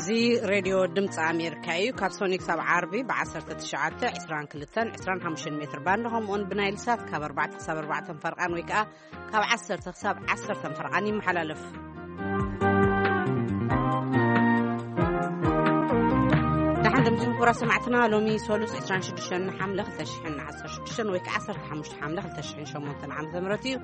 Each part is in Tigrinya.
እዚ ሬድዮ ድምፂ ኣሜሪካ እዩ። ካብ ሶኒክ ሳብ ዓርቢ ብ19፣ 22፣ 25 ሜትር ባንድ፣ ከምኡውን ብናይል ሳት ካብ ኣርባዕተ ክሳብ ኣርባዕተ ፈርቓን ወይ ከዓ ካብ ዓሰርተ ክሳብ ዓሰርተ ፈርቓን ይመሓላለፍ። ደሓን ድምፂ ክቡራ ሰማዕትና፣ ሎሚ ሶሉስ 26 ሓምለ 2016 ወይ ከዓ 15 ሓምለ 2008 ዓመተ ምህረት እዩ።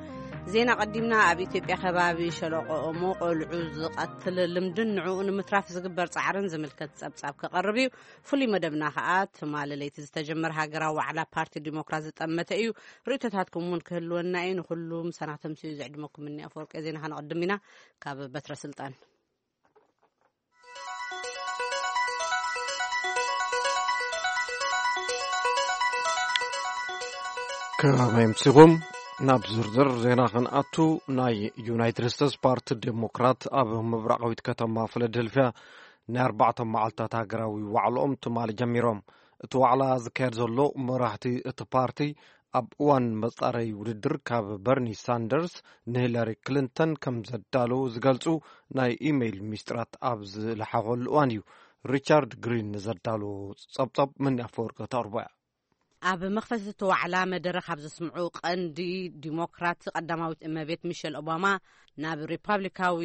ዜና ቀዲምና። ኣብ ኢትዮጵያ ከባቢ ሸለቆ ኦሞ ቆልዑ ዝቐትል ልምድን ንዕኡ ንምትራፍ ዝግበር ጻዕርን ዝምልከት ጸብጻብ ክቐርብ እዩ። ፍሉይ መደብና ከኣ ትማሊ ለይቲ ዝተጀመረ ሃገራዊ ዋዕላ ፓርቲ ዲሞክራት ዝጠመተ እዩ። ርእይቶታትኩም እውን ክህልወና እዩ። ንኹሉ ምሳና ተምስዩ ዘዕድመኩም እኒ ኣፈወርቂ ዜና ከነቐድም ኢና። ካብ በትረ ስልጣን። ከመይ ኣምሲኹም? ናብ ዝርዝር ዜና ክንኣቱ፣ ናይ ዩናይትድ ስቴትስ ፓርቲ ዴሞክራት ኣብ ምብራቓዊት ከተማ ፊላደልፊያ ናይ ኣርባዕተ መዓልታት ሃገራዊ ዋዕላኦም ትማሊ ጀሚሮም። እቲ ዋዕላ ዝካየድ ዘሎ፣ መራሕቲ እቲ ፓርቲ ኣብ እዋን መጻረይ ውድድር ካብ በርኒ ሳንደርስ ንሂላሪ ክሊንተን ከም ዘዳለዉ ዝገልጹ ናይ ኢሜይል ሚስጥራት ኣብ ዝለሓኸሉ እዋን እዩ። ሪቻርድ ግሪን ንዘዳለዎ ጸብጻብ መን ኣፈወርቂ ተቕርቦ እያ። ኣብ መኽፈቲ እቲ ዋዕላ መደረ ካብ ዘስምዑ ቀንዲ ዲሞክራት ቀዳማዊት እመቤት ሚሸል ኦባማ፣ ናብ ሪፓብሊካዊ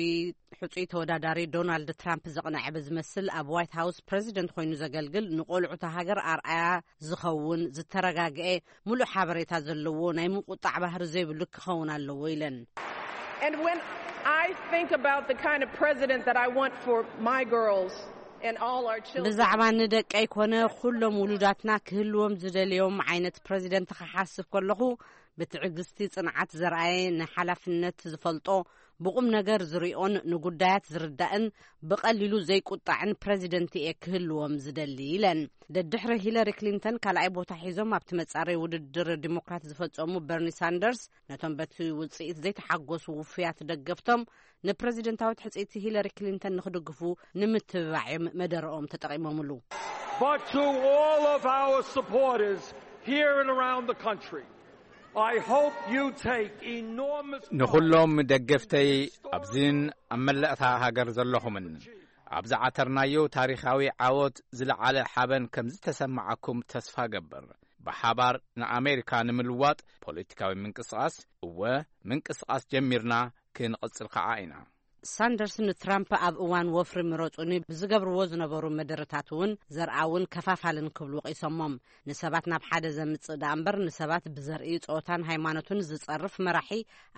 ሕጹይ ተወዳዳሪ ዶናልድ ትራምፕ ዘቕነዐ ብዝመስል፣ ኣብ ዋይት ሃውስ ፕረዚደንት ኮይኑ ዘገልግል፣ ንቆልዑ እታ ሃገር ኣርኣያ ዝኸውን፣ ዝተረጋግአ፣ ሙሉእ ሓበሬታ ዘለዎ፣ ናይ ምቁጣዕ ባህሪ ዘይብሉ ክኸውን ኣለዎ ኢለን። And when I think about the kind of president that I want for my girls and all our children, ብዛዕባ ንደቀይ ኮነ ኩሎም ውሉዳትና ክህልዎም ዝደልዮም ዓይነት ፕረዚደንት ክሓስብ ከለኹ፣ ብትዕግስቲ ጽንዓት ዘርኣየ፣ ንሓላፍነት ዝፈልጦ፣ ብቑም ነገር ዝሪኦን ንጉዳያት ዝርዳእን ብቐሊሉ ዘይቁጣዕን ፕረዚደንት እየ ክህልዎም ዝደሊ ኢለን። ደድሕሪ ሂለሪ ክሊንተን ካልኣይ ቦታ ሒዞም ኣብቲ መጻረይ ውድድር ዲሞክራት ዝፈጸሙ በርኒ ሳንደርስ፣ ነቶም በቲ ውጽኢት ዘይተሓጎሱ ውፉያት ደገፍቶም፣ ንፕረዚደንታዊት ሕጽይቲ ሂለሪ ክሊንተን ንኽድግፉ ንምትብባዕ እዮም መደረኦም ተጠቒሞምሉ። But to all of our supporters here and around the country, I hope you take enormous ንኹሎም ደገፍተይ ኣብዚን ኣብ መላእታ ሃገር ዘለኹምን፣ ኣብ ዝዓተርናዮ ታሪኻዊ ዓወት ዝለዓለ ሓበን ከም ዝተሰማዓኩም ተስፋ ገብር። ብሓባር ንኣሜሪካ ንምልዋጥ ፖለቲካዊ ምንቅስቓስ፣ እወ፣ ምንቅስቓስ ጀሚርና፣ ክንቕጽል ከኣ ኢና። ሳንደርስ ንትራምፕ ኣብ እዋን ወፍሪ ምረጹኒ ብዝገብርዎ ዝነበሩ መደረታት እውን ዘርኣውን ከፋፋልን ክብሉ ወቒሶሞም። ንሰባት ናብ ሓደ ዘምጽእ ደኣ እምበር፣ ንሰባት ብዘርኢ ጾታን ሃይማኖትን ዝጸርፍ መራሒ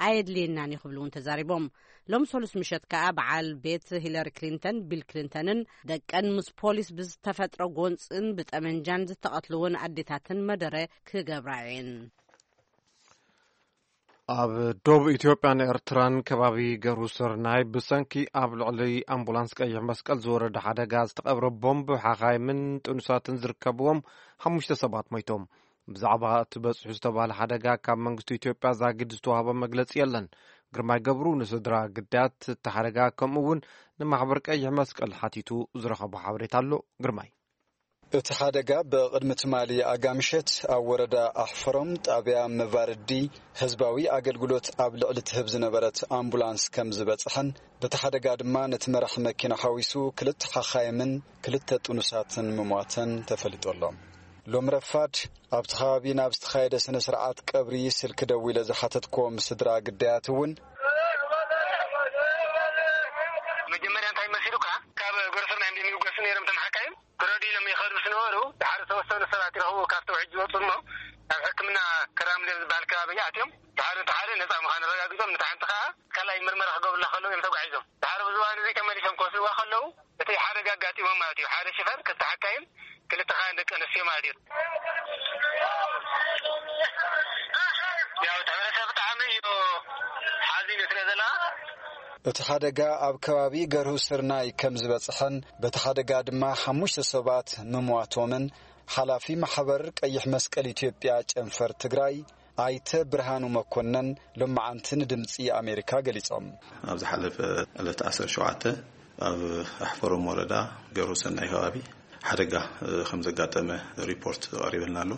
ኣየድልየናን እዩ ክብሉ እውን ተዛሪቦም። ሎም ሰሉስ ምሸት ከኣ በዓል ቤት ሂለሪ ክሊንተን፣ ቢል ክሊንተንን ደቀን ምስ ፖሊስ ብዝተፈጥረ ጎንጽን ብጠመንጃን ዝተቐትልውን ኣዴታትን መደረ ክገብራ እየን። ኣብ ዶብ ኢትዮጵያን ኤርትራን ከባቢ ገሩ ስርናይ ብሰንኪ ኣብ ልዕሊ ኣምቡላንስ ቀይሕ መስቀል ዝወረደ ሓደጋ ዝተቐብረ ቦምብ ሓኻይምን ጥኑሳትን ዝርከብዎም ሓሙሽተ ሰባት ሞይቶም። ብዛዕባ እቲ በጽሑ ዝተባህለ ሓደጋ ካብ መንግስቲ ኢትዮጵያ ዛጊድ ዝተዋህበ መግለጺ የለን። ግርማይ ገብሩ ንስድራ ግዳያት እቲ ሓደጋ ከምኡ እውን ንማሕበር ቀይሕ መስቀል ሓቲቱ ዝረኸቦ ሓበሬታ ኣሎ። ግርማይ። እቲ ሓደጋ ብቕድሚ ትማሊ ኣጋምሸት ኣብ ወረዳ ኣሕፈሮም ጣብያ መቫርዲ ህዝባዊ ኣገልግሎት ኣብ ልዕሊ ትህብ ዝነበረት ኣምቡላንስ ከም ዝበጽሐን፣ በቲ ሓደጋ ድማ ነቲ መራሒ መኪና ሓዊሱ ክልተ ሓኻይምን ክልተ ጥኑሳትን ምሟተን ተፈሊጡ ኣሎ። ሎም ረፋድ ኣብቲ ከባቢ ናብ ዝተኻየደ ስነ ስርዓት ቀብሪ ስልኪ ደዊለ ዝሓተትኮም ስድራ ግዳያት እውን፣ መጀመርያ እንታይ መሲሉካ? ካብ ጎረሰብ ናይ እንዲንጎስ ነይሮም ተመሓካይም ክረዱ ኢሎም ይኸዱ ዝነበሩ፣ ድሓር ዝተወሰኑ ሰባት ይረኽቡ ካብቲ ውሕጅ ዝወፁ እሞ ናብ ሕክምና ክራምሌ ዝበሃል ከባቢ ኣትዮም። ድሓር እቲ ሓደ ነፃ ምዃኑ ኣረጋጊፆም፣ ነታ ሓንቲ ከዓ ካልኣይ ምርመራ ክገብሩላ ከለዉ እዮም ተጓዒዞም። ድሓር ብዝዋን እዚ ተመሊሶም ክወስድዋ ከለዉ እቲ ሓደጋ ኣጋጢሞም ማለት እዩ። ሓደ ሽፈር፣ ክልተ ሓካይም፣ ክልተ ከዓ ደቂ ኣንስትዮ ማለት እዩ። ያው እቲ ሕብረተሰብ ብጣዕሚ እዩ ሓዚኑ ስለ ዘላ። እቲ ሓደጋ ኣብ ከባቢ ገርሁ ስርናይ ከም ዝበጽሐን በቲ ሓደጋ ድማ ሓሙሽተ ሰባት ምሟቶምን ሓላፊ ማሕበር ቀይሕ መስቀል ኢትዮጵያ ጨንፈር ትግራይ ኣይተ ብርሃኑ መኮነን ሎማዓንቲ ንድምጺ ኣሜሪካ ገሊጾም። ኣብ ዝሓለፈ ዕለት ዓሰርተ ሸውዓተ ኣብ ኣሕፈሮም ወረዳ ገርሁ ሰናይ ከባቢ ሓደጋ፣ እ፣ ከም ዘጋጠመ ሪፖርት ቀሪበልና ኣሎ።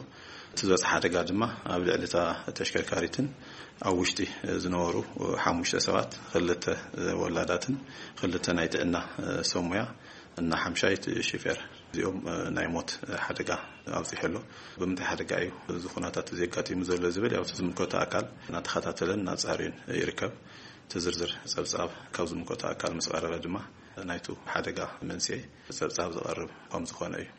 እቲ ዝበፅሐ ሓደጋ ድማ ኣብ ልዕሊ እታ ተሽከርካሪትን ኣብ ውሽጢ፣ እ፣ ዝነበሩ፣ እ፣ ሓሙሽተ ሰባት፣ ክልተ፣ እ፣ ወላዳትን ክልተ ናይ ጥዕና፣ እ፣ ሰብ ሞያ እና ሓምሻይ እቲ ሺፌር እዚኦም፣ እ፣ ናይ ሞት ሓደጋ ኣብፂሑ ኣሎ። ብምንታይ ሓደጋ እዩ እዚ ኩነታት እዚ ኣጋጢሙ ዘሎ ዝብል ያው እቲ ዝምልከቶ ኣካል እናተኸታተለን እናፃርዩን ይርከብ። እቲ ዝርዝር ፀብፃብ ካብ ዝምልከቶ ኣካል ምስ ቀረበ ድማ ናይቱ ሓደጋ መንስኤ ፀብፃብ ዝቐርብ ከም ዝኾነ እዩ።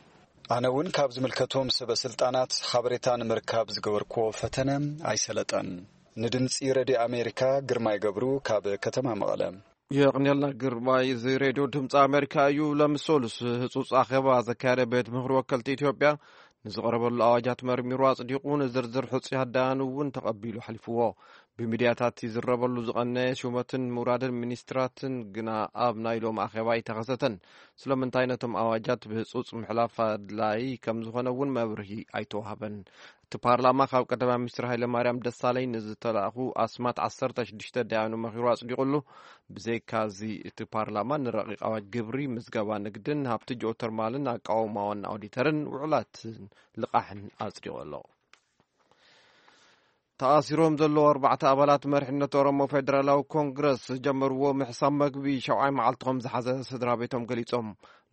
ኣነ እውን ካብ ዝምልከቶም ሰበ ስልጣናት ሓበሬታ ንምርካብ ዝገበርኩዎ ፈተነ ኣይሰለጠን። ንድምፂ ረድዮ ኣሜሪካ ግርማይ ገብሩ ካብ ከተማ መቐለ። የቕንየልና ግርማይ። እዚ ሬድዮ ድምፂ ኣሜሪካ እዩ። ለምሶሉስ ህፁፅ ኣኼባ ዘካየደ ቤት ምኽሪ ወከልቲ ኢትዮጵያ ንዝቐረበሉ ኣዋጃት መርሚሩ ኣጽዲቑ፣ ንዝርዝር ሕጹያት ዳያኑ እውን ተቐቢሉ ኣሕሊፍዎ። ብሚድያታት ይዝረበሉ ዝቐነየ ሹመትን ምውራድን ሚኒስትራትን ግና ኣብ ናይ ሎሚ ኣኼባ ኣይተኸሰተን። ስለምንታይ ነቶም ኣዋጃት ብህጹጽ ምሕላፍ ኣድላዪ ከም ዝኾነ እውን መብርሂ ኣይተዋህበን። እቲ ፓርላማ ካብ ቀዳማይ ሚኒስትር ሃይለማርያም ደሳለኝ ንዝተላእኹ ኣስማት ዓሰርተ ሽዱሽተ ዳያኑ መኺሩ ኣጽዲቑሉ። ብዘይካዚ እቲ ፓርላማ ንረቂቕ ኣዋጅ ግብሪ፣ ምዝገባ ንግድን ሃብቲ ጂኦተርማልን ኣቃውማ ዋና ኦዲተርን ውዕላትን ልቓሕን ኣጽዲቑ ኣሎ። ተኣሲሮም ዘለዉ ኣርባዕተ ኣባላት መሪሕነት ኦሮሞ ፌደራላዊ ኮንግረስ ዝጀመርዎ ምሕሳብ መግቢ ሻውዓይ መዓልቲ ከም ዝሓዘ ስድራ ቤቶም ገሊጾም።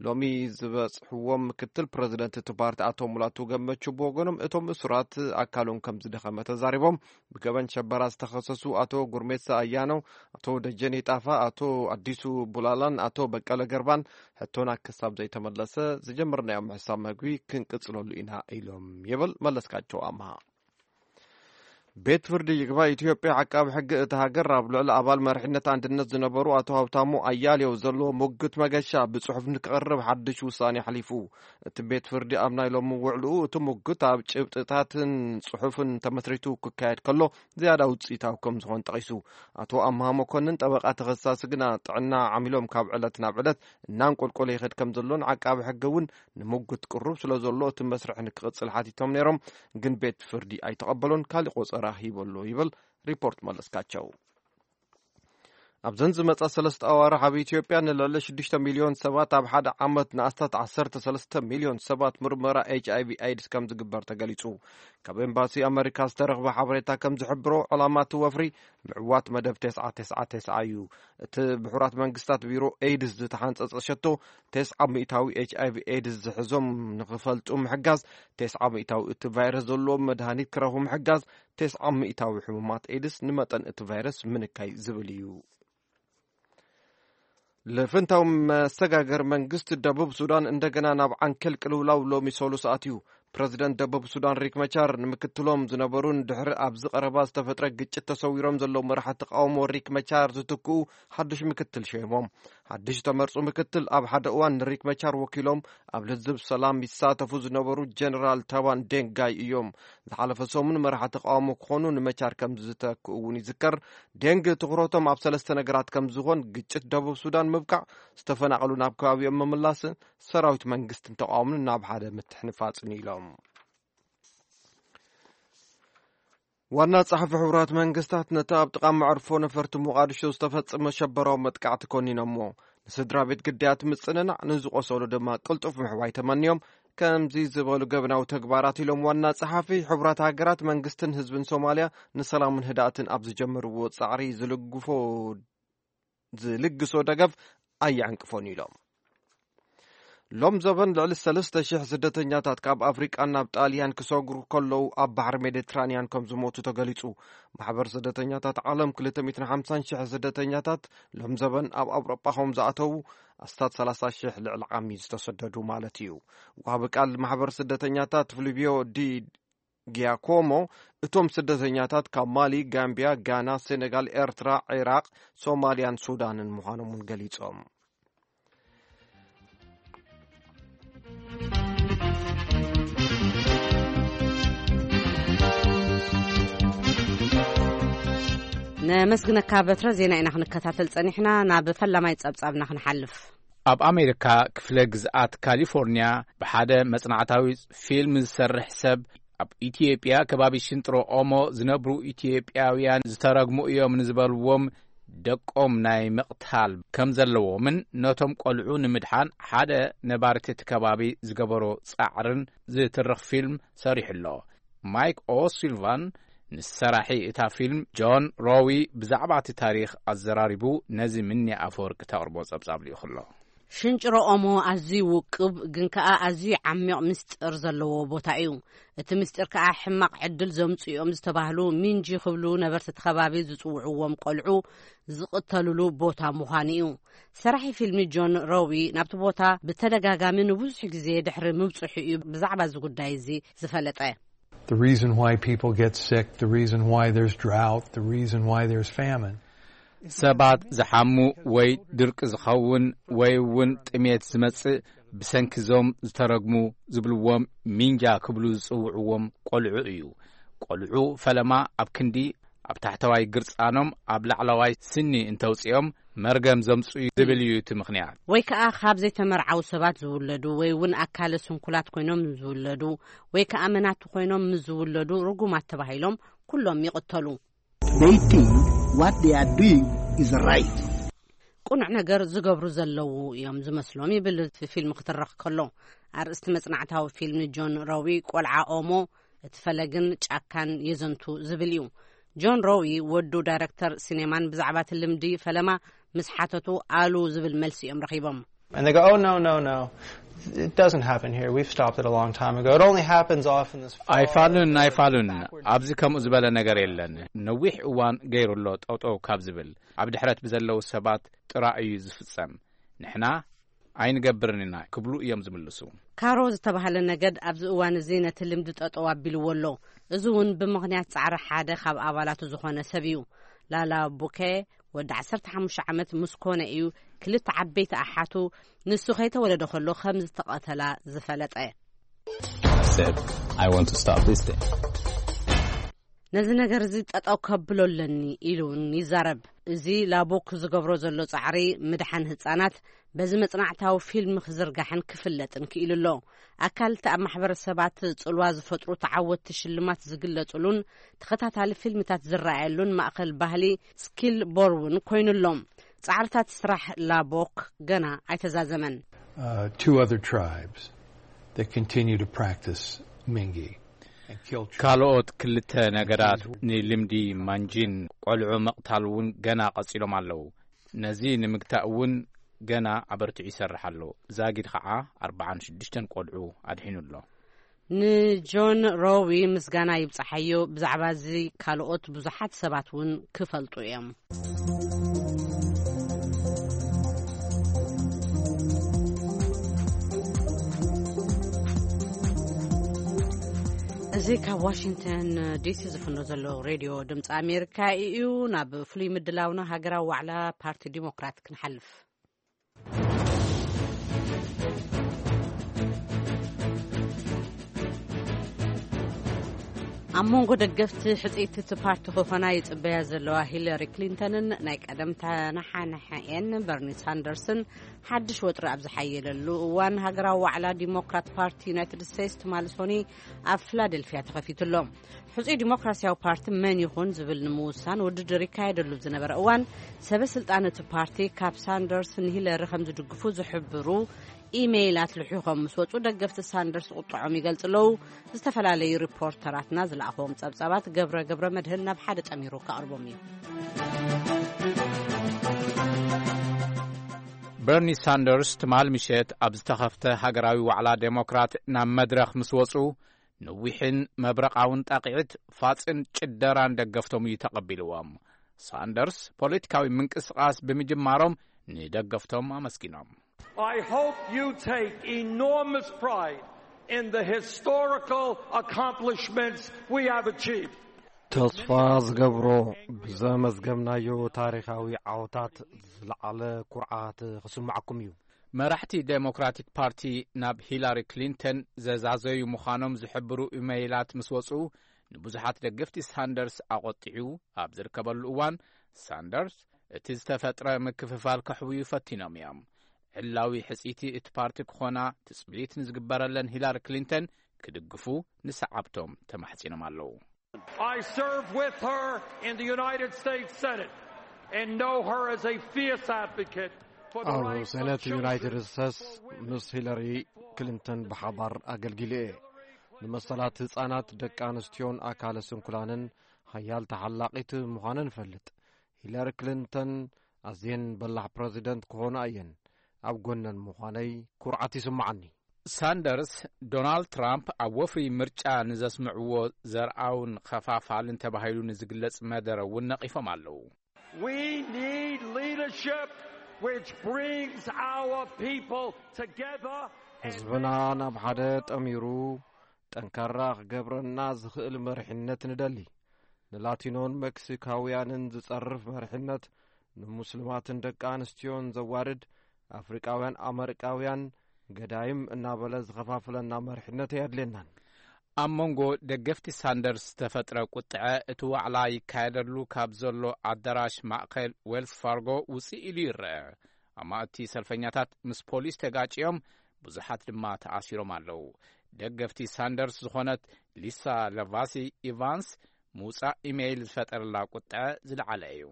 ሎሚ ዝበጽሕዎም ምክትል ፕረዚደንት እቲ ፓርቲ ኣቶ ሙላቱ ገመቹ ብወገኖም እቶም እሱራት ኣካሎም ከም ዝደኸመ ተዛሪቦም። ብገበን ሸበራ ዝተኸሰሱ ኣቶ ጉርሜሳ ኣያኖ፣ ኣቶ ደጀኔ ጣፋ፣ ኣቶ ኣዲሱ ቡላላን ኣቶ በቀለ ገርባን ሕቶና ክሳብ ዘይተመለሰ ዝጀመርናዮ ምሕሳብ መግቢ ክንቅጽለሉ ኢና ኢሎም ይብል መለስካቸው ኣምሃ። ቤት ፍርዲ ይግባይ ኢትዮጵያ ዓቃቢ ሕጊ እታ ሃገር ኣብ ልዕሊ ኣባል መሪሕነት ኣንድነት ዝነበሩ ኣቶ ሃብታሙ ኣያሌው ዘለዎ ሙግት መገሻ ብጽሑፍ ንክቐርብ ሓድሽ ውሳኔ ኣሕሊፉ። እቲ ቤት ፍርዲ ኣብ ናይ ሎሚ ውዕልኡ እቲ ሙግት ኣብ ጭብጥታትን ጽሑፍን ተመስሪቱ ክካየድ ከሎ ዝያዳ ውጽኢታዊ ከም ዝኾን ጠቒሱ። ኣቶ ኣምሃ መኮንን ጠበቓ ተኸሳሲ ግና ጥዕና ዓሚሎም ካብ ዕለት ናብ ዕለት እናንቆልቆለ ይኸድ ከም ዘሎን ዓቃቢ ሕጊ እውን ንሙግት ቅሩብ ስለ ዘሎ እቲ መስርሕ ንክቕጽል ሓቲቶም ነይሮም፣ ግን ቤት ፍርዲ ኣይተቐበሎን፣ ካሊእ ቆጸራ ሂበሎ ይብል ሪፖርት መለስካቸው። ኣብዘን ዝመጻ ሰለስተ ኣዋርሕ ኣብ ኢትዮጵያ ንልዕሊ ሽዱሽተ ሚልዮን ሰባት ኣብ ሓደ ዓመት ንኣስታት ዓሰርተ ሰለስተ ሚልዮን ሰባት ምርመራ ኤች ኣይ ቪ ኤድስ ከም ዝግበር ተገሊጹ። ካብ ኤምባሲ ኣመሪካ ዝተረኽበ ሓበሬታ ከም ዝሕብሮ ዕላማ እቲ ወፍሪ ምዕዋት መደብ ተስዓ ተስዓ ተስዓ እዩ። እቲ ብሕቡራት መንግስታት ቢሮ ኤድስ ዝተሓንጸጸ ሸቶ ተስዓ ሚእታዊ ኤች ኣይ ቪ ኤድስ ዝሕዞም ንኽፈልጡ ምሕጋዝ፣ ተስዓ ሚእታዊ እቲ ቫይረስ ዘለዎም መድሃኒት ክረኽቡ ምሕጋዝ፣ ተስዓ ሚእታዊ ሕሙማት ኤድስ ንመጠን እቲ ቫይረስ ምንካይ ዝብል እዩ። ልፍንታዊ መሰጋገር መንግስቲ ደቡብ ሱዳን እንደገና ናብ ዓንኬል ቅልውላው ሎሚ ሰሉስ ኣትዩ። ፕረዚደንት ደቡብ ሱዳን ሪክ መቻር ንምክትሎም ዝነበሩን ድሕሪ ኣብዚ ቀረባ ዝተፈጥረ ግጭት ተሰዊሮም ዘለዉ መራሕቲ ተቃውሞ ሪክ መቻር ዝትክኡ ሓድሽ ምክትል ሸይሞም። ሓድሽ ተመርጹ ምክትል ኣብ ሓደ እዋን ንሪክ መቻር ወኪሎም ኣብ ልዝብ ሰላም ይሳተፉ ዝነበሩ ጀነራል ታባን ዴንጋይ እዮም። ዝሓለፈ ሰሙን መራሕቲ ተቃውሞ ክኾኑ ንመቻር ከም ዝተክኡ እውን ይዝከር። ዴንግ ትኹረቶም ኣብ ሰለስተ ነገራት ከም ዝኾን ግጭት ደቡብ ሱዳን ምብቃዕ፣ ዝተፈናቐሉ ናብ ከባቢኦም ምምላስን ሰራዊት መንግስትን ተቃውሞን ናብ ሓደ ምትሕንፋጽን ኢሎም። ዋና ጸሓፊ ሕቡራት መንግስታት ነቲ ኣብ ጥቓ መዕርፎ ነፈርቲ ሞቓዲሾ ዝተፈጸመ ሸበራዊ መጥቃዕቲ ኮኒኖሞ። ንስድራ ቤት ግዳያት ምጽንናዕ፣ ንዝቆሰሉ ድማ ቅልጡፍ ምሕዋይ ተመንዮም። ከምዚ ዝበሉ ገበናዊ ተግባራት ኢሎም ዋና ጸሓፊ ሕቡራት ሃገራት መንግስትን ህዝብን ሶማልያ ንሰላምን ህድኣትን ኣብ ዝጀመርዎ ጻዕሪ ዝልግፎ ዝልግሶ ደገፍ ኣየዕንቅፎን ኢሎም። ሎም ዘበን ልዕሊ ሰለስተ ሽሕ ስደተኛታት ካብ ኣፍሪቃ ናብ ጣልያን ክሰግሩ ከለዉ ኣብ ባሕሪ ሜዲትራንያን ከም ዝሞቱ ተገሊጹ። ማሕበር ስደተኛታት ዓለም ክልተ ሚእትን ሓምሳን ሽሕ ስደተኛታት ሎም ዘበን ኣብ ኣውሮጳ ከም ዝኣተዉ ኣስታት ሰላሳ ሽሕ ልዕሊ ዓሚ ዝተሰደዱ ማለት እዩ። ወሃቢ ቃል ማሕበር ስደተኛታት ፍሊቪዮ ዲ ጊያኮሞ እቶም ስደተኛታት ካብ ማሊ፣ ጋምቢያ፣ ጋና፣ ሴኔጋል፣ ኤርትራ፣ ዒራቕ፣ ሶማልያን ሱዳንን ምዃኖም እውን ገሊጾም። ነመስግነካ በትረ። ዜና ኢና ክንከታተል ጸኒሕና። ናብ ፈላማይ ጸብጻብና ክንሓልፍ። ኣብ ኣሜሪካ ክፍለ ግዝኣት ካሊፎርኒያ ብሓደ መጽናዕታዊ ፊልም ዝሰርሕ ሰብ ኣብ ኢትዮጵያ ከባቢ ሽንጥሮ ኦሞ ዝነብሩ ኢትዮጵያውያን ዝተረግሙ እዮም ንዝበልዎም ደቆም ናይ ምቕታል ከም ዘለዎምን ነቶም ቆልዑ ንምድሓን ሓደ ነባርቲ እቲ ከባቢ ዝገበሮ ጻዕርን ዝትርኽ ፊልም ሰሪሑ ኣሎ። ማይክ ኦሲልቫን ንሰራሒ እታ ፊልም ጆን ሮዊ ብዛዕባ እቲ ታሪኽ ኣዘራሪቡ ነዚ ምንያ ኣፈወርቂ ተቕርቦ ጸብጻብ ልኢኹ ኣሎ። ሽንጭሮ ኦሞ ኣዝዩ ውቁብ ግን ከኣ ኣዝዩ ዓሚቕ ምስጢር ዘለዎ ቦታ እዩ። እቲ ምስጢር ከኣ ሕማቕ ዕድል ዘምጽኡ እዮም ዝተባህሉ ሚንጂ ክብሉ ነበርቲ እቲ ከባቢ ዝጽውዕዎም ቆልዑ ዝቕተሉሉ ቦታ ምዃኑ እዩ። ሰራሒ ፊልሚ ጆን ሮዊ ናብቲ ቦታ ብተደጋጋሚ ንብዙሕ ግዜ ድሕሪ ምብጽሑ እዩ ብዛዕባ እዚ ጉዳይ እዚ ዝፈለጠ። The reason why people get sick, the reason why there's drought, the reason why there's famine. ሰባት ዝሓሙ ወይ ድርቂ ዝኸውን ወይ እውን ጥሜት ዝመጽእ ብሰንኪ ዞም ዝተረግሙ ዝብልዎም ሚንጃ ክብሉ ዝጽውዕዎም ቆልዑ እዩ። ቆልዑ ፈለማ ኣብ ክንዲ ኣብ ታሕተዋይ ግርጻኖም ኣብ ላዕለዋይ ስኒ እንተውጽኦም መርገም ዘምጽኡ ዝብል እዩ እቲ ምኽንያት። ወይ ከኣ ካብ ዘይተመርዓው ሰባት ዝውለዱ ወይ እውን ኣካለ ስንኩላት ኮይኖም ዝውለዱ ወይ ከኣ መናቱ ኮይኖም ምስ ዝውለዱ ርጉማት ተባሂሎም ኩሎም ይቕተሉ። They think what they are doing is right. ቁኑዕ ነገር ዝገብሩ ዘለዉ እዮም ዝመስሎም ይብል እቲ ፊልም ክትረኽ ከሎ። ኣርእስቲ መጽናዕታዊ ፊልም ጆን ሮዊ ቆልዓ ኦሞ እቲ ፈለግን ጫካን የዘንቱ ዝብል እዩ። ጆን ሮዊ ወዱ ዳይረክተር ሲኔማን ብዛዕባ እቲ ልምዲ ፈለማ ምስ ሓተቱ ኣሉ ዝብል መልሲ እዮም ረኺቦም። And they go, oh, no, no, no. It doesn't happen here. We've stopped it a long time ago. It only happens off in this far ኣይፋሉን ኣይፋሉን ኣብዚ ከምኡ ዝበለ ነገር የለን። ነዊሕ እዋን ገይሩ ኣሎ ጠውጠው ካብ ዝብል ኣብ ድሕረት ብዘለዉ ሰባት ጥራይ እዩ ዝፍጸም። ንሕና ኣይንገብርን ኢና ክብሉ እዮም ዝምልሱ። ካሮ ዝተባህለ ነገድ ኣብዚ እዋን እዚ ነቲ ልምዲ ጠጠው ኣቢልዎ ኣሎ። እዚ እውን ብምኽንያት ጻዕሪ ሓደ ካብ ኣባላቱ ዝኾነ ሰብ እዩ። ላላ ቡከ ወዲ ዓሰርተ ሓሙሽተ ዓመት ምስ ኮነ እዩ ክልተ ዓበይቲ ኣሓቱ ንሱ ከይተወለደ ከሎ ከም ዝተቐተላ ዝፈለጠ። I said, I want to stop this thing. ነዚ ነገር እዚ ጠጠው ከብሎ ኣለኒ ኢሉ እውን ይዛረብ። እዚ ላቦክ ዝገብሮ ዘሎ ጻዕሪ ምድሓን ህጻናት በዚ መጽናዕታዊ ፊልም ክዝርጋሕን ክፍለጥን ክኢሉ ኣሎ። ኣካልቲ ኣብ ማሕበረሰባት ጽልዋ ዝፈጥሩ ተዓወትቲ ሽልማት ዝግለጹሉን ተኸታታሊ ፊልምታት ዝረኣየሉን ማእከል ባህሊ ስኪል ቦርውን ኮይኑ ኣሎ። ጻዕርታት ስራሕ ላቦክ ገና ኣይተዛዘመን። Uh, two other tribes that continue to practice Mingi and kill children. ካልኦት ክልተ ነገዳት ንልምዲ ማንጂን ቆልዑ ምቕታል እውን ገና ቀጺሎም ኣለዉ። ነዚ ንምግታእ እውን ገና ኣበርቲዑ ይሰርሕ ኣሎ። ዛጊድ ኸዓ ኣርብዓን ሽዱሽተን ቆልዑ ኣድሒኑ ኣሎ። ንጆን ሮዊ ምስጋና ይብጻሓዮ። ብዛዕባ እዚ ካልኦት ብዙሓት ሰባት እውን ክፈልጡ እዮም። እዚ ካብ ዋሽንግተን ዲሲ ዝፍኖ ዘሎ ሬድዮ ድምፂ ኣሜሪካ እዩ። ናብ ፍሉይ ምድላውና ሃገራዊ ዋዕላ ፓርቲ ዲሞክራት ክንሓልፍ። ኣብ መንጎ ደገፍቲ ሕጽይቲ እቲ ፓርቲ ክኾና ይጽበያ ዘለዋ ሂለሪ ክሊንተንን ናይ ቀደም ተነሓነሐኤን በርኒ ሳንደርስን ሓድሽ ወጥሪ ኣብ ዝሓየለሉ እዋን ሃገራዊ ዋዕላ ዲሞክራት ፓርቲ ዩናይትድ ስቴትስ ትማሊ ሶኒ ኣብ ፊላደልፊያ ተኸፊቱ ኣሎ። ሕጹይ ዲሞክራሲያዊ ፓርቲ መን ይኹን ዝብል ንምውሳን ውድድር ይካየደሉ ዝነበረ እዋን ሰበ ስልጣን እቲ ፓርቲ ካብ ሳንደርስ ንሂለሪ ከም ዝድግፉ ዝሕብሩ ኢሜይላት ልሒኾም ምስ ወጹ ደገፍቲ ሳንደርስ ቁጥዖም ይገልጹ ኣለዉ። ዝተፈላለዩ ሪፖርተራትና ዝለኣኽዎም ጸብጻባት ገብረ ገብረ መድህን ናብ ሓደ ጠሚሩ ከቕርቦም እዩ። በርኒ ሳንደርስ ትማል ምሸት ኣብ ዝተኸፍተ ሃገራዊ ዋዕላ ዴሞክራት ናብ መድረኽ ምስ ወጹ ንዊሕን መብረቓውን ጣቕዒት ፋጽን ጭደራን ደገፍቶም እዩ ተቐቢልዎም። ሳንደርስ ፖለቲካዊ ምንቅስቓስ ብምጅማሮም ንደገፍቶም ኣመስጊኖም። I hope you take enormous pride in the historical accomplishments we have achieved. ተስፋ ዝገብሮ ብዘመዝገብናዮ ታሪኻዊ ዓወታት ዝለዓለ ኩርዓት ክስምዓኩም እዩ። መራሕቲ ዴሞክራቲክ ፓርቲ ናብ ሂላሪ ክሊንተን ዘዛዘዩ ምዃኖም ዝሕብሩ ኢመይላት ምስ ወጹ ንብዙሓት ደገፍቲ ሳንደርስ ኣቖጢዑ ኣብ ዝርከበሉ እዋን ሳንደርስ እቲ ዝተፈጥረ ምክፍፋል ከሕውዩ ፈቲኖም እዮም። ዕላዊ ሕጽይቲ እቲ ፓርቲ ክኾና ትጽቢት ንዝግበረለን ሂላሪ ክሊንተን ክድግፉ ንሰዓብቶም ተማሕጺኖም ኣለዉ። I served with her in the United States Senate and know her as a fierce advocate for the ኣብ rights of ሴነት children. ዩናይትድ ስቴትስ ምስ ሂለሪ ክሊንተን ብሓባር ኣገልጊለ እየ። ንመሰላት ህጻናት፣ ደቂ ኣንስትዮን ኣካለ ስንኩላንን ሓያል ተሓላቒት ምዃነን እፈልጥ። ሂለሪ ክሊንተን ኣዝየን በላሕ ፕረዚደንት ክኾና እየን። ኣብ ጎነን ምዃነይ ኩርዓት ይስምዓኒ። ሳንደርስ፣ ዶናልድ ትራምፕ ኣብ ወፍሪ ምርጫ ንዘስምዕዎ ዘርኣውን ኸፋፋልን ተባሂሉ ንዝግለጽ መደረ እውን ነቒፎም ኣለዉ። We need leadership which brings our people together. And ህዝብና ናብ ሓደ ጠሚሩ ጠንካራ ክገብረና ዝኽእል መሪሕነት ንደሊ። ንላቲኖን ሜክሲካውያንን ዝጸርፍ መሪሕነት፣ ንሙስልማትን ደቂ ኣንስትዮን ዘዋርድ፣ ኣፍሪቃውያን ኣመሪቃውያን ገዳይም እናበለ ዝኸፋፍለና መሪሕነት ኣየድልየናን። ኣብ መንጎ ደገፍቲ ሳንደርስ ዝተፈጥረ ቁጥዐ፣ እቲ ዋዕላ ይካየደሉ ካብ ዘሎ ኣዳራሽ ማእከል ዌልስ ፋርጎ ውፅእ ኢሉ ይረአ። ኣማእቲ ሰልፈኛታት ምስ ፖሊስ ተጋጭዮም፣ ብዙሓት ድማ ተኣሲሮም ኣለዉ። ደገፍቲ ሳንደርስ ዝኾነት ሊሳ ለቫሲ ኢቫንስ፣ ምውጻእ ኢሜይል ዝፈጠረላ ቁጥዐ ዝለዓለ እዩ።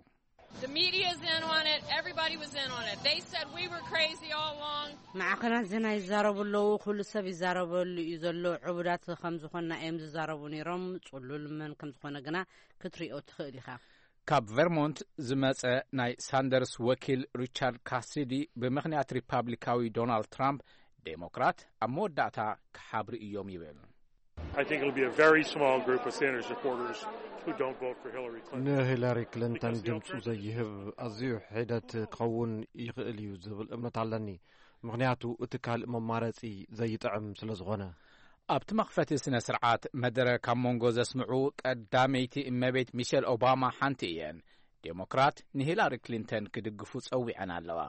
The media is in on it. Everybody was in on it. They said we were crazy all along. ማዕኸናት ዜና ይዛረቡ ኣለዉ። ኩሉ ሰብ ይዛረበሉ እዩ ዘሎ። ዕቡዳት ከም ዝኾንና እዮም ዝዛረቡ ነይሮም። ጽሉል መን ከም ዝኾነ ግና ክትሪኦ ትኽእል ኢኻ። ካብ ቨርሞንት ዝመጸ ናይ ሳንደርስ ወኪል ሪቻርድ ካሲዲ፣ ብምኽንያት ሪፓብሊካዊ ዶናልድ ትራምፕ፣ ዴሞክራት ኣብ መወዳእታ ክሓብሩ እዮም ይብል። I think it'll be a very small group of Sanders supporters who don't vote for Hillary Clinton. ንሂለሪ ክሊንተን ድምፁ ዘይህብ ኣዝዩ ሒደት ክኸውን ይኽእል እዩ ዝብል እምነት ኣለኒ፣ ምኽንያቱ እቲ ካልእ መማረፂ ዘይጥዕም ስለ ዝኾነ። ኣብቲ መኽፈቲ ስነ ስርዓት መደረ ካብ መንጎ ዘስምዑ ቀዳመይቲ እመቤት ሚሸል ኦባማ ሓንቲ እየን። ዴሞክራት ንሂላሪ ክሊንተን ክድግፉ ጸዊዐን ኣለዋ።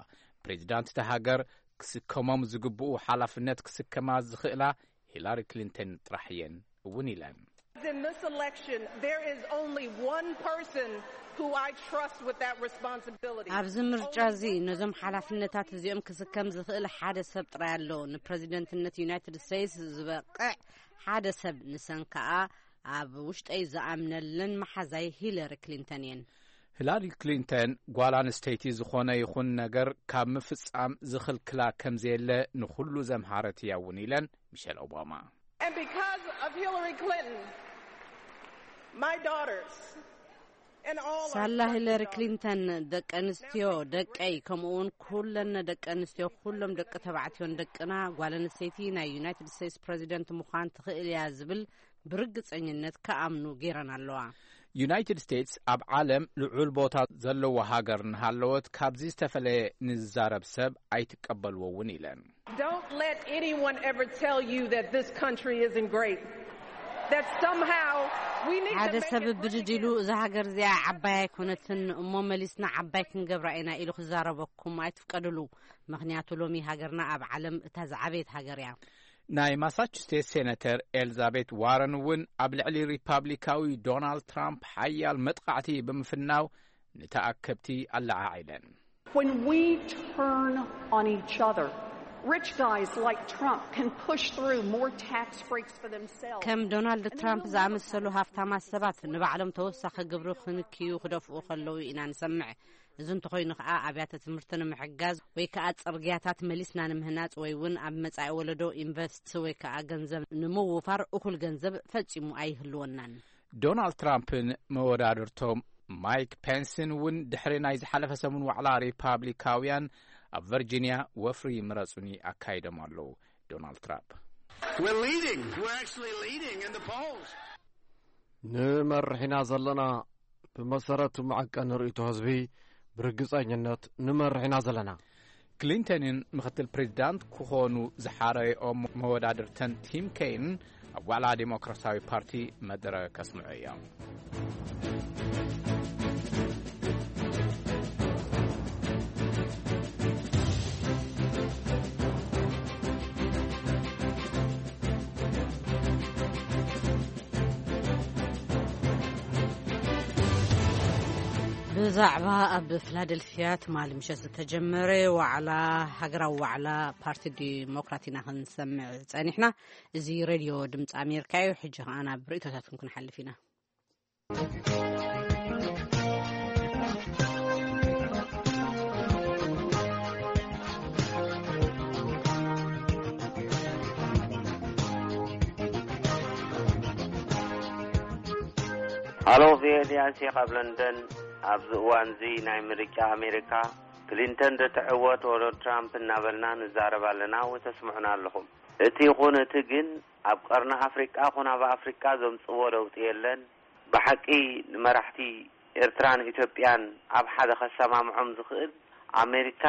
ፕሬዚዳንት እታ ሃገር ክስከሞም ዝግብኡ ሓላፍነት ክስከማ ዝኽእላ ሂላሪ ክሊንተን ጥራሕ እየን እውን ኢለን። In this election, there is only one person who I trust with that responsibility. ኣብዚ ምርጫ እዚ ነዞም ሓላፍነታት እዚኦም ክስከም ዝኽእል ሓደ ሰብ ጥራይ ኣሎ። ንፕረዚደንትነት ዩናይትድ ስቴትስ ዝበቕዕ ሓደ ሰብ፣ ንሰን ከኣ ኣብ ውሽጠይ ዝኣምነለን መሓዛይ ሂለሪ ክሊንተን እየን። ሂላሪ ክሊንተን ጓል ኣንስተይቲ ዝኾነ ይኹን ነገር ካብ ምፍጻም ዝኽልክላ ከም ዘየለ ንኹሉ ዘምሃረት እያ እውን ኢለን ሚሸል ኦባማ። And because of Hillary Clinton, my daughters and all our ሳላ ሂለሪ ክሊንተን ደቂ ኣንስትዮ ደቀይ፣ ከምኡ እውን ኩለን ደቂ ኣንስትዮ፣ ኩሎም ደቂ ተባዕትዮን ደቅና፣ ጓል ኣንስተይቲ ናይ ዩናይትድ ስቴትስ ፕረዚደንት ምዃን ትኽእል እያ ዝብል ብርግጸኝነት ክኣምኑ ገይረን ኣለዋ። ዩናይትድ ስቴትስ ኣብ ዓለም ልዑል ቦታ ዘለዎ ሃገር እናሃለወት፣ ካብዚ ዝተፈለየ ንዝዛረብ ሰብ ኣይትቀበልዎ እውን ኢለን። Don't let anyone ever tell you that this country isn't great. That somehow we need ሓደ to make ሰብ it ብድድ ኢሉ፣ really እዛ ሃገር እዚኣ ዓባይ ኣይኮነትን እሞ መሊስና ዓባይ ክንገብራ ኢና ኢሉ ክዛረበኩም ኣይትፍቀድሉ። ምኽንያቱ ሎሚ ሃገርና ኣብ ዓለም እታ ዝዓበየት ሃገር እያ። ናይ ማሳቹሴትስ ሴነተር ኤልዛቤት ዋረን እውን ኣብ ልዕሊ ሪፓብሊካዊ ዶናልድ ትራምፕ ሓያል መጥቃዕቲ ብምፍናው፣ ንተኣከብቲ ኣለዓዒለን። When we turn on each other, rich guys like Trump can push through more tax breaks for themselves. ከም ዶናልድ ትራምፕ ዝኣመሰሉ ሃፍታማት ሰባት ንባዕሎም ተወሳኺ ግብሪ ክንክዩ ክደፍኡ ከለዉ ኢና ንሰምዕ። እዚ እንተኾይኑ ከኣ ኣብያተ ትምህርቲ ንምሕጋዝ ወይ ከኣ ጽርግያታት መሊስና ንምህናጽ ወይ እውን ኣብ መጻኢ ወለዶ ኢንቨስት ወይ ከኣ ገንዘብ ንምውፋር እኹል ገንዘብ ፈጺሙ ኣይህልወናን። ዶናልድ ትራምፕን መወዳድርቶም ማይክ ፔንስን እውን ድሕሪ ናይ ዝሓለፈ ሰሙን ዋዕላ ሪፓብሊካውያን ኣብ ቨርጂንያ ወፍሪ ምረጹኒ ኣካይዶም ኣለዉ። ዶናልድ ትራምፕ We're leading. We're actually leading in the polls. ንመርሕ ኢና ዘለና። ብመሰረት መዐቀኒ ርእይቶ ህዝቢ ብርግጸኝነት ንመርሕ ኢና ዘለና። ክሊንተንን ምኽትል ፕሬዚዳንት ክኾኑ ዝሓረየኦም መወዳድርተን ቲም ኬይንን ኣብ ዋዕላ ዴሞክራሲያዊ ፓርቲ መደረ ከስምዑ እዮም። ብዛዕባ ኣብ ፊላደልፊያ ትማሊ ምሸት ዝተጀመረ ዋዕላ፣ ሃገራዊ ዋዕላ ፓርቲ ዲሞክራት ኢና ክንሰምዕ ጸኒሕና። እዚ ሬድዮ ድምፂ ኣሜሪካ እዩ። ሕጂ ከኣ ናብ ርእይቶታትኩም ክንሓልፍ ኢና። ሃሎ፣ ቪኦኤ ዲያንሲ ካብ ለንደን። ኣብዚ እዋንዚ ናይ ምርጫ ኣሜሪካ ክሊንተን ዶ ትዕወት ወዶ ትራምፕ እናበልና ንዛረብ ኣለና ወይ ተስምዑና ኣለኹም። እቲ ይኹን እቲ ግን ኣብ ቀርኒ ኣፍሪቃ ኹን ኣብ ኣፍሪቃ ዘምጽዎ ለውጢ የለን። ብሓቂ ንመራሕቲ ኤርትራን ኢትዮጵያን ኣብ ሓደ ከሰማምዖም ዝኽእል ኣሜሪካ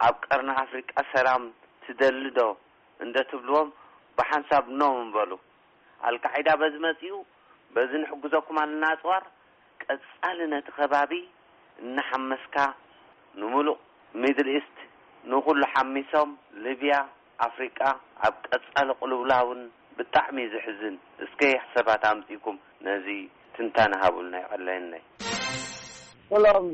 ኣብ ቀርኒ ኣፍሪቃ ሰላም ትደሊ ዶ እንደ ትብልዎም ብሓንሳብ ኖ ምበሉ። ኣልቃዒዳ በዚ መጺኡ፣ በዚ ንሕግዘኩም ኣለና ኣጽዋር፣ ቀጻሊ ነቲ ከባቢ እናሓመስካ ንምሉእ ሚድል ኢስት ንኹሉ ሓሚሶም ሊብያ፣ ኣፍሪቃ ኣብ ቀጻሊ ቅልውላውን ብጣዕሚ እዩ ዘሕዝን። እስከ ሰባት ኣምጺእኩም ነዚ ትንታነ ሃቡልና፣ ይቐለየናይ። ሰላም፣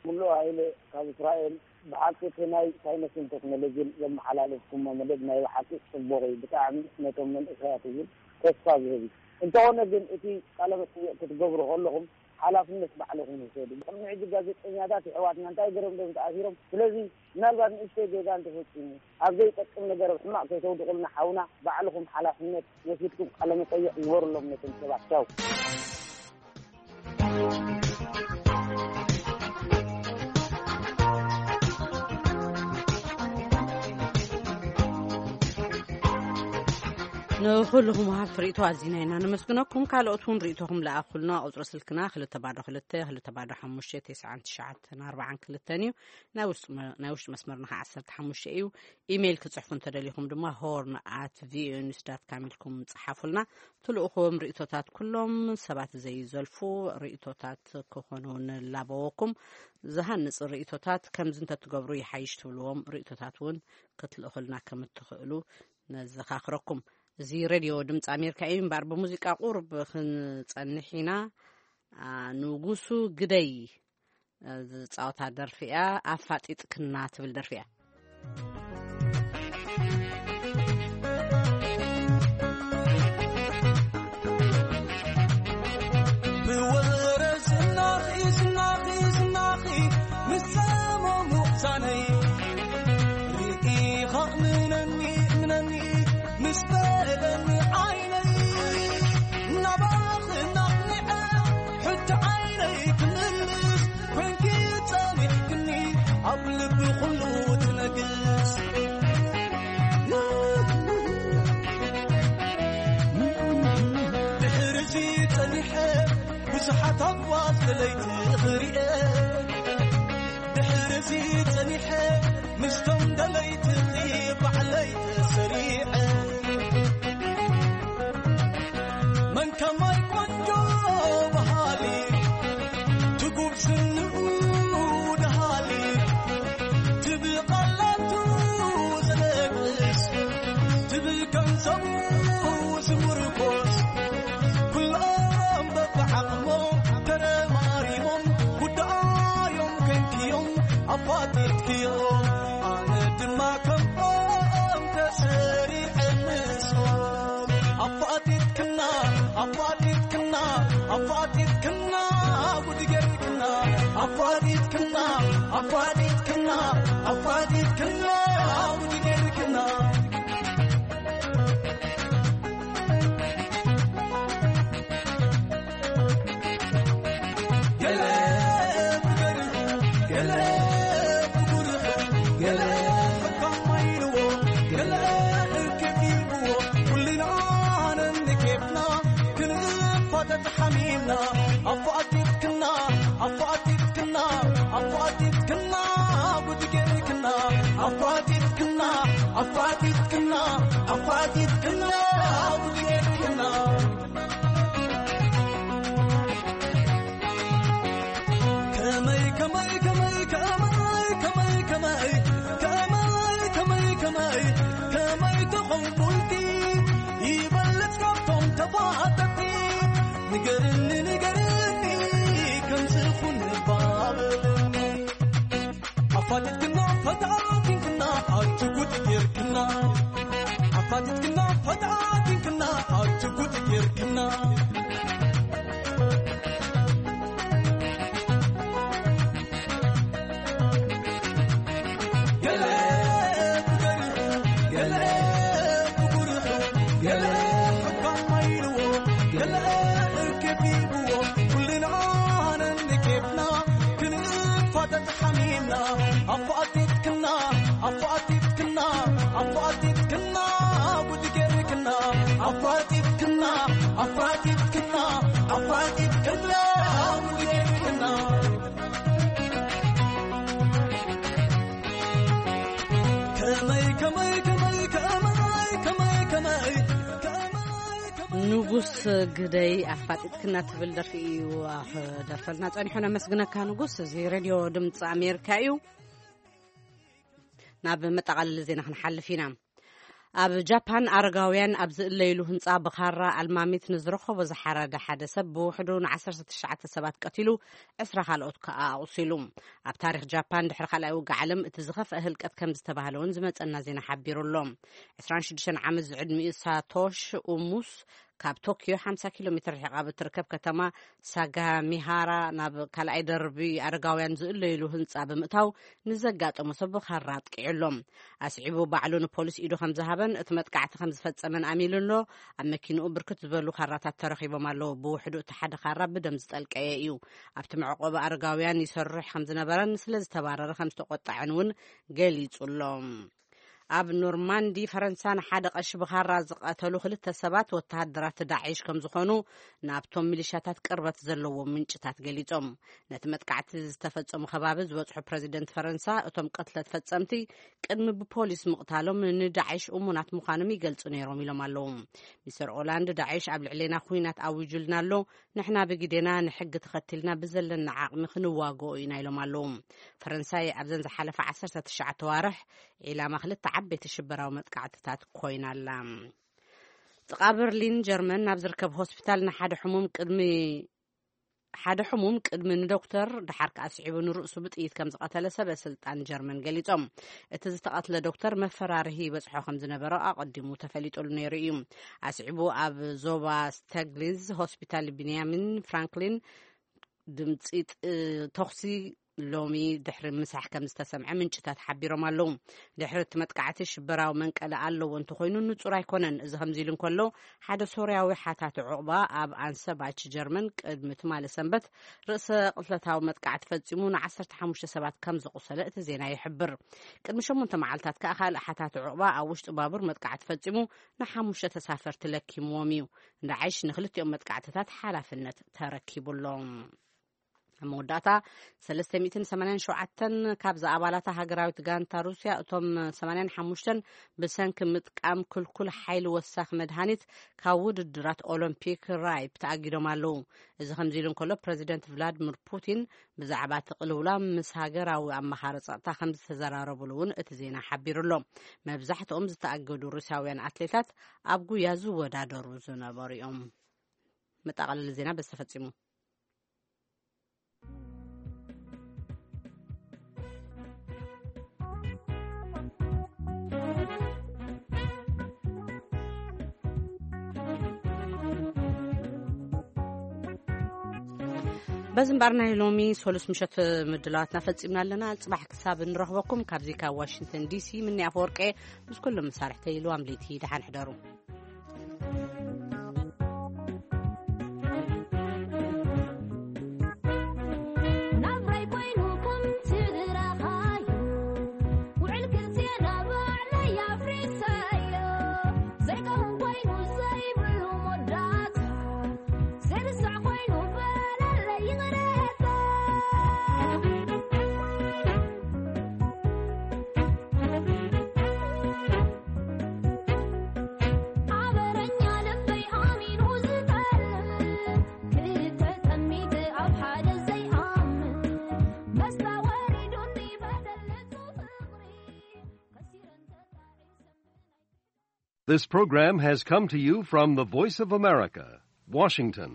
ሙሉእ ሃይለ ካብ እስራኤል። ብሓቂ እቲ ናይ ሳይንስን ቴክኖሎጂን ዘመሓላለፍኩሞ መደብ ናይ ብሓቂ ጽቡቕ እዩ። ብጣዕሚ ነቶም መንእሰያት እውን ተስፋ ዝህብ እዩ። እንተኾነ ግን እቲ ቃለ መጠይቕ ክትገብሩ ከለኹም ሓላፍነት ባዕልኹም ውሰዱ። ቅድሚ ሕጂ ጋዜጠኛታት የሕዋትና እንታይ ገይሮም ዶ ተኣሲሮም? ስለዚ ምናልባት ንእሽተይ ጌጋ እንተፈጺሙ ኣብ ዘይጠቅም ነገር ኣብ ሕማቕ ከይተውድቑልና ሓውና ባዕልኹም ሓላፍነት ወሲድኩም ቃለ መጠይቕ ግበሩሎም ነቶም ሰባት። ቻው። ንኹልኹም ወሃብቲ ርእይቶ ኣዚና ኢና ነመስግነኩም። ካልኦት እውን ርእይቶኹም ለኣኹልና። ቁጽሪ ስልክና ክልተ ባዶ ክልተ፣ ክልተ ባዶ ሓሙሽተ፣ ተስዓን ትሽዓተን ኣርባዓን ክልተን እዩ። ናይ ውሽጢ መ-፣ ናይ ውሽጢ መስመርና ኸዓ ዓሰርተ ሓሙሽተ እዩ። ኢሜይል ክጽሕፉ እንተደሊኹም ድማ ሆርን ኣት ቪኦኤ ኒውስ ዳት ካም ኢልኩም ጽሓፉልና። ትልእኽዎም ርእይቶታት ኩሎም ሰባት ዘይዘልፉ ርእይቶታት ክኾኑ ንላበወኩም። ዝሃንጽ ርእይቶታት ከምዚ እንተትገብሩ ይሓይሽ ትብልዎም ርእይቶታት እውን ክትልእኹልና ከም እትኽእሉ ነዘኻኽረኩም። እዚ ሬድዮ ድምፂ ኣሜሪካ እዩ። እምበኣር ብሙዚቃ ቁሩብ ክንጸንሕ ኢና። ኣ፣ ንጉሱ ግደይ ዝጻወታ ደርፊ እያ። ኣፋጢጥክና ትብል ደርፊ እያ። ብወረ ዝናኺ፣ ዝናኺ፣ ዝናኺ፣ ምስ ጸመሙ ዛነይ። ርኢኻ እምነኒ፣ እምነኒ፣ ምስ በለኒ ዓይነይ። ናባኺ ናቕኒዐ፣ ሕጂ ዓይነይ ክምልስ፣ ኮንኪ ጸኒሕክኒ፣ ኣብ ልቢ ኩሉ ትነግስ። ድሕርዚ ጸኒሐ ብዙሓት ኣጓዝ ደለይቲ ክሪኤ። ድሕርዚ ጸኒሐ ምስቶም ደለይቲ ባዕለይ ተሰሪዐ። መን ከማይ ቆንጆ በሃሊ፣ ትጉብ ስንኡ ደሃሊ፣ ትብል ቃላቱ ዘነግስ፣ ትብል ገንዘቡ ዝምርኮስ፣ ኩሎም በብዓቕሞም ተረማሪሞም፣ ጉዳዮም ከንክዮም ኣፋጢጥክዮም። ኣነ ድማ ከምኦም ተሰሪዐ ምስኦም። ኣፋጢጥክና፣ ኣፋጢጥክና፣ ኣፋጢጥክና፣ ጉድ ጌርክና። ኣፋጢጥክና፣ ኣፋጢጥክና፣ ኣፋጢጥክና፣ ጉድ ጌርክና። ገለ ብገርሁ፣ ገለ ብጉርሑ፣ ገለ ሕካም ማይልዎ፣ ገለ እርክብ ይብዎ፣ ኩልና ነንኬፍና ክንፋተት ሓሚምና። ኣፋጢጥክና፣ ኣፋጢጥክና፣ ኣፋጢጥክና፣ ጉድ ጌርክና። ኣፋጢጥክና፣ ኣፋጢጥክና፣ ኣፋጢጥክና፣ ጉድ ጌርክና። ከመይ፣ ከመይ፣ ከመይ፣ ከመይ፣ ከመይ፣ ከመይ፣ ከመይ፣ ከመይ፣ ከመይ፣ ከመይ፣ ከመይ ተኾንኩልኪ ይበልጽ ካብቶም ተፋተቲ? ንገርኒ፣ ንገርኒ፣ ከምዚ ኹን ባበልኒ። ኣፋቲትክና ፈታቲንክና ኣቲ ጉድ ጌርክና። ኣፋቲትክና ፈታቲንክና ኣቲ ጉድ ጌርክና። ገለ ብገርሁ፣ ገለ ብጉርሑ፣ ገለ ሕካም ማይልዎ፣ ገለ እርክብ ይብዎ፣ ኩልና ነንኬፍና ክንፋተት ሓሚምና። ንጉስ ግደይ ኣፋጢጥክና ትብል ደርፊ እዩ ደርፈልና ጸኒሑ። ነመስግነካ ንጉስ። እዚ ሬድዮ ድምፂ ኣሜሪካ እዩ። ናብ መጠቓለሊ ዜና ክንሓልፍ ኢና። ኣብ ጃፓን ኣረጋውያን ኣብ ዝእለይሉ ህንፃ ብኻራ ኣልማሚት ንዝረኸቦ ዝሓረደ ሓደ ሰብ ብውሕዱ ን19 ሰባት ቀቲሉ፣ ዕስራ ካልኦት ከኣ ኣቑሲሉ። ኣብ ታሪኽ ጃፓን ድሕሪ ካልኣይ ውግእ ዓለም እቲ ዝኸፍአ ህልቀት ከም ዝተባህለ እውን ዝመጸና ዜና ሓቢሩ ኣሎ። 26 ዓመት ዝዕድሚኡ ሳቶሽ ኡሙስ ካብ ቶኪዮ 50 ኪሎ ሜትር ርሒቓ ብትርከብ ከተማ ሳጋሚሃራ ናብ ካልኣይ ደርቢ ኣረጋውያን ዝእለይሉ ህንጻ ብምእታው ንዘጋጠሞ ሰብ ብኻራ ኣጥቂዑ ኣሎ። ኣስዒቡ ባዕሉ ንፖሊስ ኢዱ ከም ዝሃበን እቲ መጥቃዕቲ ከም ዝፈጸመን ኣሚሉ ኣሎ። ኣብ መኪንኡ ብርክት ዝበሉ ካራታት ተረኺቦም ኣለዉ። ብውሕዱ እቲ ሓደ ካራ ብደም ዝጠልቀየ እዩ። ኣብቲ መዕቆቢ ኣረጋውያን ይሰርሕ ከም ዝነበረን ስለ ዝተባረረ ከም ዝተቆጣዐን እውን ገሊጹ ኣሎ። ኣብ ኖርማንዲ ፈረንሳ ንሓደ ቀሺ ብኻራ ዝቐተሉ ክልተ ሰባት ወተሃደራት ዳዒሽ ከም ዝኾኑ ናብቶም ሚሊሻታት ቅርበት ዘለዎም ምንጭታት ገሊጾም። ነቲ መጥቃዕቲ ዝተፈጸሙ ከባቢ ዝበጽሑ ፕረዚደንት ፈረንሳ፣ እቶም ቅትለት ፈጸምቲ ቅድሚ ብፖሊስ ምቕታሎም ንዳዒሽ እሙናት ምዃኖም ይገልጹ ነይሮም ኢሎም ኣለዉ። ሚስተር ኦላንድ፣ ዳዒሽ ኣብ ልዕሌና ኲናት ኣዊጁልና ኣሎ፣ ንሕና ብግዴና ንሕጊ ተኸቲልና ብዘለና ዓቕሚ ክንዋግኦ ኢና ኢሎም ኣለዉ። ፈረንሳይ ኣብዘን ዝሓለፈ 19 ዋርሕ ዒላማ ክልተ ዓበይቲ ሽበራዊ መጥቃዕትታት ኮይና ኣላ። ጥቓ በርሊን ጀርመን ናብ ዝርከብ ሆስፒታል ንሓደ ሕሙም ቅድሚ ሓደ ሕሙም ቅድሚ ንዶክተር፣ ደሓር ከኣ ስዒቡ ንርእሱ ብጥይት ከም ዝቐተለ ሰበ ስልጣን ጀርመን ገሊጾም። እቲ ዝተቐትለ ዶክተር መፈራርሂ ይበጽሖ ከም ዝነበረ ኣቐዲሙ ተፈሊጡሉ ነይሩ እዩ። ኣስዒቡ ኣብ ዞባ ስተግሊዝ ሆስፒታል ቢንያሚን ፍራንክሊን ድምጺ ጥ-፣ ተኹሲ ሎሚ ድሕሪ ምሳሕ ከም ዝተሰምዐ ምንጭታት ሓቢሮም ኣለዉ። ድሕሪ እቲ መጥቃዕቲ ሽበራዊ መንቀሊ ኣለዎ እንተኾይኑ ንጹር ኣይኮነን። እዚ ከምዚ ኢሉ እንከሎ፣ ሓደ ሶርያዊ ሓታቲ ዑቕባ ኣብ ኣንሰባች ጀርመን ቅድሚ ትማሊ ሰንበት ርእሰ ቅትለታዊ መጥቃዕቲ ፈጺሙ ን15 ሰባት ከም ዘቑሰለ እቲ ዜና ይሕብር። ቅድሚ ሸሞንተ መዓልታት ከኣ ካልእ ሓታቲ ዑቕባ ኣብ ውሽጢ ባቡር መጥቃዕቲ ፈጺሙ ንሓሙሽተ ተሳፈርቲ ለኪምዎም እዩ። ንዳዕሽ ንክልቲኦም መጥቃዕትታት ሓላፍነት ተረኪቡ ኣሎ። ኣብ መወዳእታ፣ 387 ካብዛ ኣባላታ ሃገራዊት ጋንታ ሩስያ፣ እቶም 85 ብሰንኪ ምጥቃም ክልኩል ሓይሊ ወሳኺ መድሃኒት ካብ ውድድራት ኦሎምፒክ ራይፕ ተኣጊዶም ኣለዉ። እዚ ከምዚ ኢሉ እንከሎ፣ ፕረዚደንት ቭላድሚር ፑቲን ብዛዕባ እቲ ቅልውላው ምስ ሃገራዊ ኣማኻሪ ጸጥታ ከም ዝተዘራረቡሉ እውን እቲ ዜና ሓቢሩ ኣሎ። መብዛሕትኦም ዝተኣገዱ ሩስያውያን ኣትሌታት ኣብ ጉያ ዝወዳደሩ ዝነበሩ እዮም። መጠቓለሊ ዜና በዚ ተፈጺሙ። በዚ እምበኣር ናይ ሎሚ ሰሉስ ምሸት ምድላዋትና ፈጺምና ኣለና። ጽባሕ ክሳብ እንረኽበኩም ካብዚ ካብ ዋሽንግተን ዲሲ ምኒ ኣፈወርቄ ምስ ኩሎም መሳርሕተይ ኢሉ ኣምሊቲ ደሓን ሕደሩ። ናብራይ ኮይኑ ከም ትግራኻዩ ውዕል ክልቴና ባዕለይ ኣፍሪሰዮ ዘይከውን ኮይኑ ዘይብሉ መወዳእታ ዘይርሳዕ ኮይኑ በለለይ ይቕረታ። ሓበረኛ ልበይ ኣሚኑ ዝጠልም ክልተ ጠሚት ኣብ ሓደ ዘይኣምን መስታ ወሪዱኒ በደል ንጹህ ፍቕሪ ከሲረን ተጣዒሰን። This program has come to you from the Voice of America, Washington.